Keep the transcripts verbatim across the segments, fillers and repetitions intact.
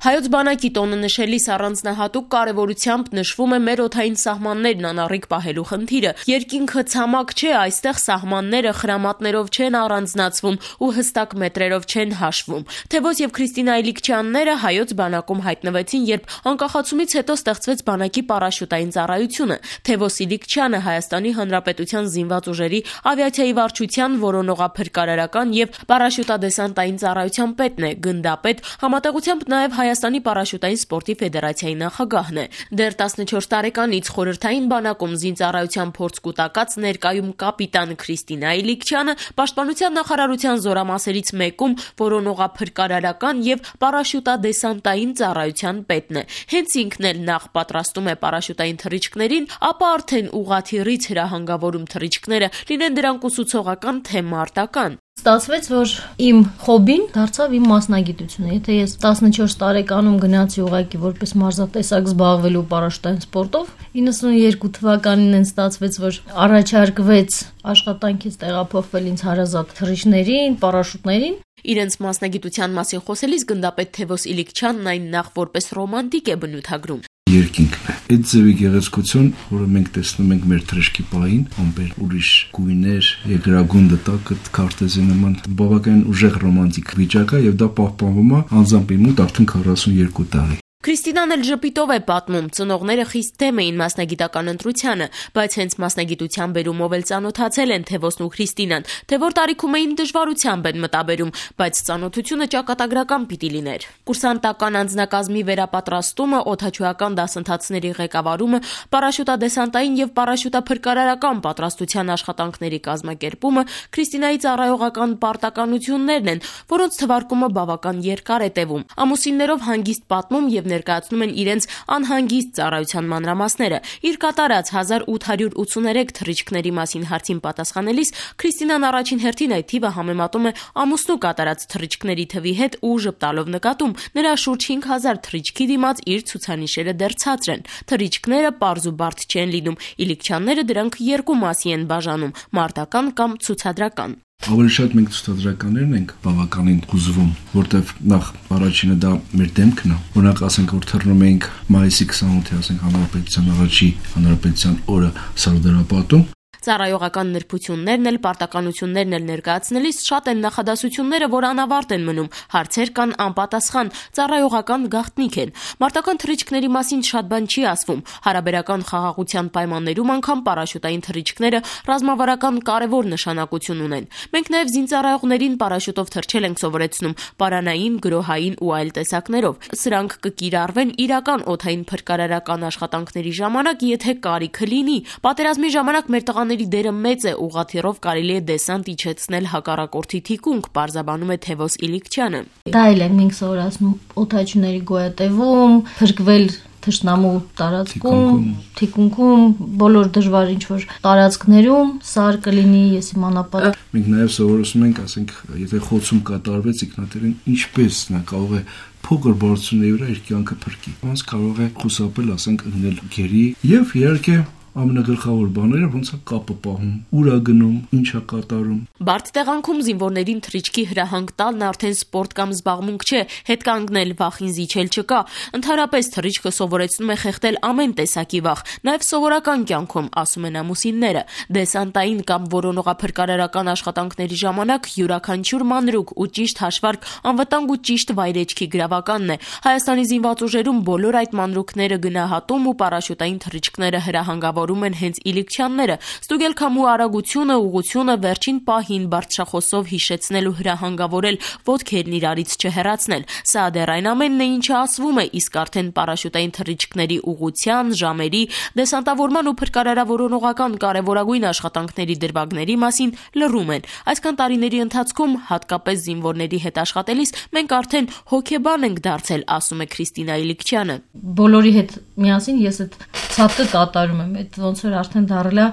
Հայոց բանակի տոնը նշելիս առանձնահատուկ կարևորությամբ նշվում է մեր օդային սահմաններն անառիկ պահելու խնդիրը։ Երկինքը ցամաք չէ, այստեղ սահմանները խրամատներով չեն առանձնացվում ու հստակ մետրերով չեն հաշվում։ Թևոս եւ Քրիստինա Իլիկչյանները հայոց բանակում հայտնվեցին, երբ անկախացումից հետո ստեղծվեց բանակի պարաշուտային ծառայությունը։ Թևոս Իլիկչյանը Հայաստանի Հանրապետության զինված ուժերի ավիացիայի վարչության որոնողափրկարարական եւ պարաշուտադեսանտային ծառայության պետն է, գնդապետ, համատեղությամբ նաեւ Հայաստանի պարաշուտային սպորտի ֆեդերացիայի նախագահն է։ Դեռ տասնչորս տարեկանից խորհրդային բանակում զինծառայության փորձ կուտակած ներկայում կապիտան Քրիստինա Իլիկչյանը պաշտպանության նախարարության զորամասերից մեկում որոնողափրկարարական եւ պարաշուտադեսանտային ծառայության պետն է։ Հենց ինքն էլ նախ պատրաստում է պարաշուտային թռիչքներին, ապա արդեն ուղղաթիռից հրահանգավորում թռիչքները, լինեն դրանք ուսուցողական թե մարտական։ Ստացվեց, որ իմ խոբին դարձավ իմ մասնագիտությունը։ Եթե ես տասնչորս տարեկանում գնացի ուղղակի որպես մարզատեսակ զբաղվելու պարաշուտային սպորտով, իննսունուերկու թվականին են ստացվեց, որ առաջարկվեց աշխատանքից տեղափոխվել ինձ հարազատ թռիչքներին, պարաշուտներին։ Իրենց մասնագիտության մասին խոսելիս գնդապետ Թևոս Իլիկչյանն այն նախ որպես ռոմանտիկ է բնութագրում։ Երկինքն է։ Այդ ձևի գեղեցկություն, որը մենք տեսնում ենք մեր թռիչքի պահին, ամբեր ուրիշ գույներ, երկրագունդը տակը, քարտեզի նման բավականին ուժեղ ռոմանտիկ վիճակ է եւ դա պահպանվում է անձամբ իմ մոտ արդեն քառասունուերկու տարի։ Քրիստինան էլ ժպիտով է պատմում, ծնողները խիստ դեմ էին մասնագիտական ընտրությանը, բայց հենց մասնագիտության բերումով էլ ծանոթացել են Թևոսն ու Քրիստինան, թե որ տարիքում էին դժվարությամբ են մտաբերում, բայց ծանոթությունը ճակատագրական պիտի լիներ։ Կուրսանտական անձնակազմի վերապատրաստումը, օդաչուական դասընթացների ղեկավարումը, պարաշուտադեսանտային եւ պարաշուտափրկարարական պատրաստության աշխատանքների կազմակերպումը Քրիստինայի ծառայողական պարտականություններն են, որոնց թվարկումը բավական երկար է տևում։ Ամուսիններով հանգիստ պատմում եւ ներկայացնում են իրենց անհանգիստ ծառայության մանրամասները։ Իր կատարած հազար ութ հարյուր ութսուներեք թռիչքների մասին հարցին պատասխանելիս Քրիստինան առաջին հերթին այդ թիվը համեմատում է ամուսնու կատարած թռիչքների թվի հետ ու ժպտալով նկատում. նրա շուրջ հինգ հազար թռիչքի դիմաց իր ցուցանիշերը դեռ ցածր են։ Թռիչքները պարզ ու բարդ չեն լինում, Իլիկչյանները դրանք երկու մասի են բաժանում՝ մարտական կամ ցուցադրական։ Ավելի շատ մենք ցուցադրականներն ենք բավականին հուզվում, որտեվ նախ առաջինը դա մեր դեմքն է։ Օրինակ ասենք որ թռնում ենք մայիսի քսանութի, ասենք հանրապետության առաջի հանրապետության օրը Սարդարապատում։ Ծառայողական նրբություններն էլ, պարտականություններն էլ ներկայացնելիս շատ են նախադասությունները, որ անավարտ են մնում, հարցեր կան անպատասխան, ծառայողական գաղտնիք են։ Մարտական թռիչքների մասին շատ բան չի ասվում։ Հարաբերական խաղաղության պայմաններում անգամ պարաշուտային թռիչքները ռազմավարական կարևոր նշանակություն ունեն։ Մենք նաև զինծառայողներին պարաշուտով թռչել ենք սովորեցնում պարանային, գրոհային ու այլ տեսակներով։ Սրանք կկիրառվեն իրական օդային փրկարարական աշխատանքների ժամանակ, եթե կարիքը լինի։ Պատերազմի ժամանակ մեր տղաները դերը մեծ է, ուղղաթիռով կարելի է դեսանտ իջեցնել հակառակորդի թիկունք, պարզաբանում է Թևոս Իլիկչյանը։ Դա էլ են մենք սովորացնում օդաչուների գոյատևում, փրկվել թշնամու տարածքում, թիկունքում, բոլոր դժվար ինչ-որ տարածքներում, սար կլինի, ես իմանապատ։ Մենք նաև սովորեցնում ենք, ասենք, եթե խոցում կատարվեց ինքնաթիռին, ինչպես նա կարող է փոքր բարձրությունների վրա իր կյանքը փրկի։ Ոնց կարող է խուսափել, ասենք, ընկնել գերի եւ իհարկե ամենագլխավոր բաները ոնց է կապը պահում, ուր է գնում, ինչ է կատարում։ Բարդ տեղանքում զինվորներին թռիչքի հրահանգ տալն արդեն սպորտ կամ զբաղմունք չէ, հետ կանգնել, վախին զիջել չկա։ Ընդհանրապես թռիչքը սովորեցնում է խեղդել ամեն տեսակի վախ, նաև սովորական կյանքում, ասում են ամուսինները։ Դեսանտային կամ որոնողափրկարարական աշխատանքների ժամանակ յուրաքանչյուր մանրուք ու ճիշտ հաշվարկ անվտանգ ու ճիշտ վայրեջքի գրավականն է։ Հայաստանի զինված ուժերում բոլոր այդ մանրուքները գնահատում ու պարաշուտային թռիչքները հրահանգավոր են հենց Իլիկչյանները, ստուգել քամու արագությունը, ուղղությունը, վերջին պահին բարձրախոսով հիշեցնել ու հրահանգավորել, ոտքերն իրարից չհեռացնել։ Սա դեռ այն ամենն է, ինչը ասվում է, իսկ արդեն պարաշուտային թռիչքների ուղղության, ժամերի, դեսանտավորման ու փրկարարավորողական կարևորագույն աշխատանքների դրվագների մասին լռում են։ Այսքան տարիների ընթացքում, հատկապես զինվորների հետ աշխատելիս, մենք արդեն հոգեբան ենք դարձել, ասում է Քրիստինա Իլիկչյանը։ Բոլորի հետ միասին ես այդ ցածը կատարում եմ, այդ ոնց որ արդեն դառել է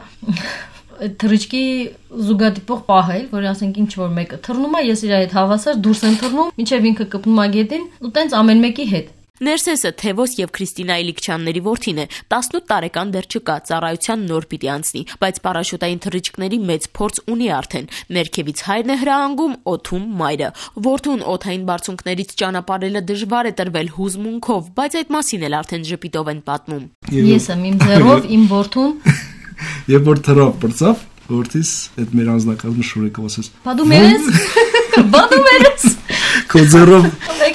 այդ թռիչքի զուգադիպող պահել, որ ասենք ինչ որ մեկը թռնում է, ես իր հետ հավասար դուրս եմ թռնում, մինչև ինքը կպնում է գետին ու տենց ամեն մեկի հետ։ Ներսեսը Թևոս եւ Քրիստինա Իլիկչյանների որդին է, տասնութ տարեկան դեռ չկա, ծառայության նոր պիտի անցնի, բայց պարաշուտային թռիչքների մեծ փորձ ունի արդեն։ Ներքևից հայրն է հրահանգում, օդում մայրը։ Որդուն օդային բարձունքներից ճանապարհելը դժվար է տրվել հուզմունքով, բայց այդ մասին էլ արդեն ժպիտով են պատմում։ Ես եմ իմ ձեռով իմ որդուն Երբ որ թռավ բրծավ, որդիս այդ մեր անձնակազմը շուրեկով ասես. Բա դու մերես։ Բա դու մերես։ Քո ձեռով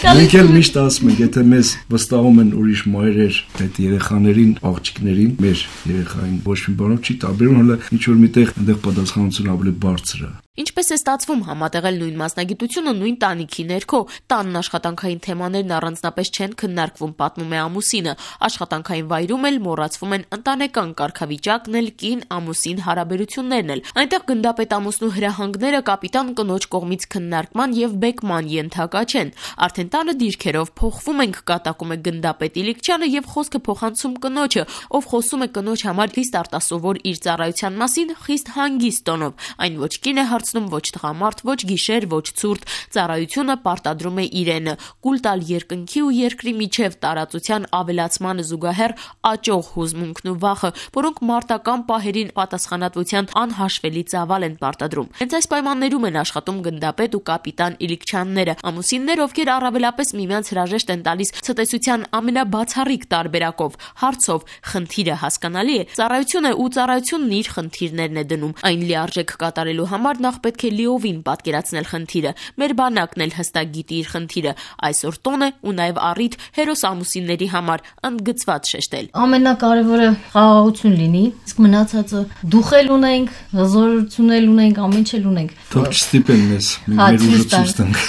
մենք էլ միշտ ասում ենք, եթե մեզ վստահում են ուրիշ մայրեր այդ երեխաներին, աղջիկներին, մեր երեխային ոչ մի բանով չի տարբերում, հələ ինչ որ միտեղ այնտեղ պատասխանությունը ավելի բարձր է։ Ինչպես է ստացվում համատեղել նույն մասնագիտությունը նույն տանիքի ներքո, տանն աշխատանքային թեմաներն առանձնապես չեն քննարկվում, պատմում է ամուսինը, աշխատանքային վայրում էլ մոռացվում են ընտանեկան կարգավիճակն էլ, կին ամուսին հարաբերություններն էլ, այնտեղ գնդապետ ամուսնու հրահանգները կապիտան կնոջ կողմից քննարկման եւ բեկման ենթակա չեն, արդեն տանը դիրքերով փոխվում ենք, կատակում է գնդապետ Իլիկչյանը եւ խոսքը փոխանցում կնոջը, ով խոսում է կնոջ համար խիստ արտասովոր իր ծառայության մասին, խիստ հանգիստ տոնով, այն ոչ կին է ոչ տղամարդ, ոչ գիշեր, ոչ ցուրտ, ծառայությունը պարտադրում է իրենը, կուլ տալ երկնքի ու երկրի միջև տարածության ավելացմանը զուգահեռ աճող հուզմունքն ու վախը, որոնք մարտական պահերին պատասխանատվության անհաշվելի ծավալ են պարտադրում։ Հենց այս պայմաններում են աշխատում գնդապետ ու կապիտան Իլիկչյանները, ամուսիններ, ովքեր առավելապես միմյանց հրաժեշտ են տալիս ցտեսության ամենաբացառիկ տարբերակով, հարցով, խնդիրը հասկանալի է, ծառայություն է ու ծառայությունն իր խնդիրներն է դնում, այն լիարժեք կատարելու համար նախ պետք է լիովին պատկերացնել խնդիրը, մեր բանակն էլ հստակ գիտի իր խնդիրը, այսօր տոն է ու նաև առիթ հերոս ամուսինների համար ընդգծված շեշտել։ Ամենակարևորը խաղաղություն լինի, իսկ մնացածը դուխել ունենք, հզորություն էլ ունենք, ամեն ինչ էլ ունենք։ Թող չստիպեն մեզ, մեր ուժը ցույց տանք։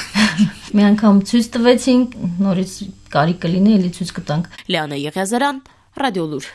Մի անգամ ցույց տվեցինք, նորից կարիք կլինի, էլի ցույց կտանք։ Լիանա Եղիազարյան, Ռադիոլուր։